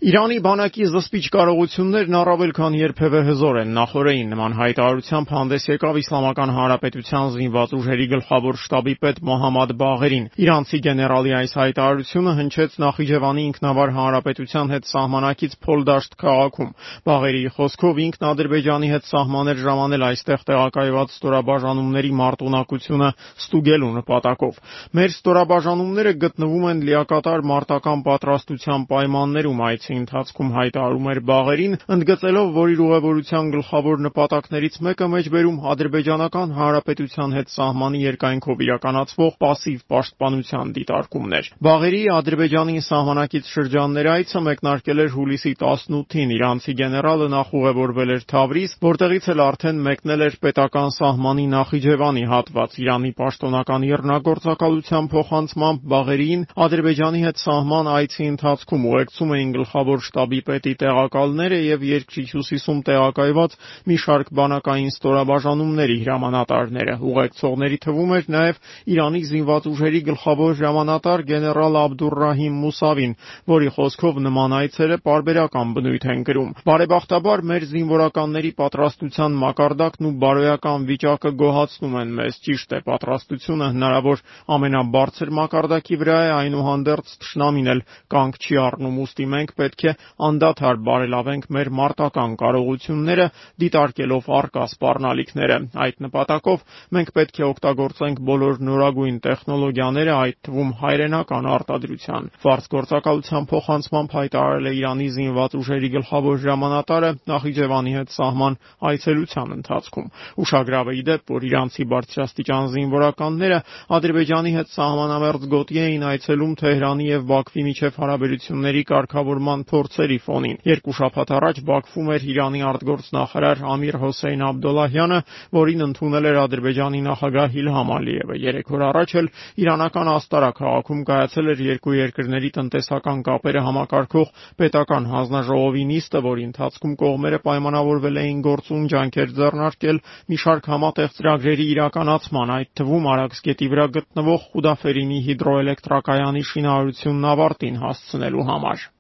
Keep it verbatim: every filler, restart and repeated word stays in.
Իրանի բանակի զսպիչ կարողություններն առավել քան երբևէ հզոր են։ Նախօրեին նման հայտարարությամբ հանդես եկավ Իսլամական Հանրապետության զինված ուժերի գլխավոր շտաբի պետ Մոհամմադ Բաղերին։ Իրանցի գեներալի այս հայտարարությունը հնչեց Նախիջևանի ինքնավար հանրապետության հետ սահմանակից Փոլդաշտ քաղաքում։ Բաղերի խոսքով ինքն Ադրբեջանի հետ սահմաններ ժամանել այստեղ տեղակայված ստորաբաժանումների մարտունակությունը ստուգելու նպատակով։ Մեր ստորաբաժանումները գտնվում են լիակատար մարտական պատրաստության պայմաններում, այցի ընթացքում հայտարարում էր Բաղերին, ընդգծելով, որ իր ուղևորության գլխավոր նպատակներից մեկը մեջբերում ադրբեջանական հանրապետության հետ սահմանի երկայնքով իրականացվող պասիվ պաշտպանության դիտարկումն էր։ Բաղերի Ադրբեջանի սահմանակից շրջաններ այցը մեկնարկել էր հուլիսի տասնութին։ Իրանցի գեներալը նախ ուղևորվել էր Թավրիզ, որտեղից էլ արդեն մեկնել էր պետական սահմանի Նախիջևանի հատված։ Իրանի պաշտոնական իռնագործակալության փոխանցմամբ Բաղերիին Ադրբեջանի հետ սահման այցի ընթացքում ուղեկցում էին գլխավոր շտաբի պետի տեղակալները եւ երկրի հյուսիսում տեղակայված մի շարք բանակային ստորաբաժանումների հրամանատարները։ Ուղեկցողների թվում էր նաեւ Իրանի զինված ուժերի գլխավոր հրամանատար գեներալ Աբդուռահիմ Մուսավին, որի խոսքով նման այցերը պարբերական բնույթ են կրում։ Բարեբախտաբար մեր զինվորականների պատրաստության մակարդակն ու բարոյական վիճակը գոհացնում են մեզ։ Ճիշտ է, պատրաստությունը հնարավոր ամենաբարձր մակարդակի վրա է, այնուհանդերձ թշնամին էլ կանգ չի առնում, ուստի մենք պետք է անդադար բարելավենք մեր մարտական կարողությունները, դիտարկելով առկա սպառնալիքները։ Այդ նպատակով մենք պետք է օգտագործենք բոլոր նորագույն տեխնոլոգիաները, այդ թվում հայրենական արտադրության։ Ֆարս գործակալության փոխանցմամբ հայտարարել է Իրանի զինված ուժերի գլխավոր հրամանատարը Նախիջևանի հետ սահման այցելության ընթացքում։ Ուշագրավ է ի դեպ, որ իրանցի բարձրաստիճան զինվորականները Ադրբեջանի հետ սահմանամերձ գոտի էին այցելում Թեհրանի եւ Բաքվի միջև հարաբերությունների կարգավորման փորձերի ֆոնին։ Երկու շաբաթ առաջ Բաքվում էր Իրանի արտգործնախարար Ամիր Հոսեյն Աբդոլլահյանը, որին ընդունել էր Ադրբեջանի նախագահ Իլհամ Ալիևը։ Երեք օր առաջ էլ իրանական Աստարա քաղաքում կայացել էր երկու երկրների տնտեսական կապերը համակարգող պետական հանձնաժողովի նիստը, որի ընթացքում կողմերը պայմանավորվել էին գործուն ջանքեր ձեռնարկել մի շարք համատեղ ծրագրերի իրականացման, այդ թվում Արաքսգետի վրա գտնվող Խուդաֆերինի հիդրոէլեկտրակայանի շինարարությունն ավարտին հասցնելու համար։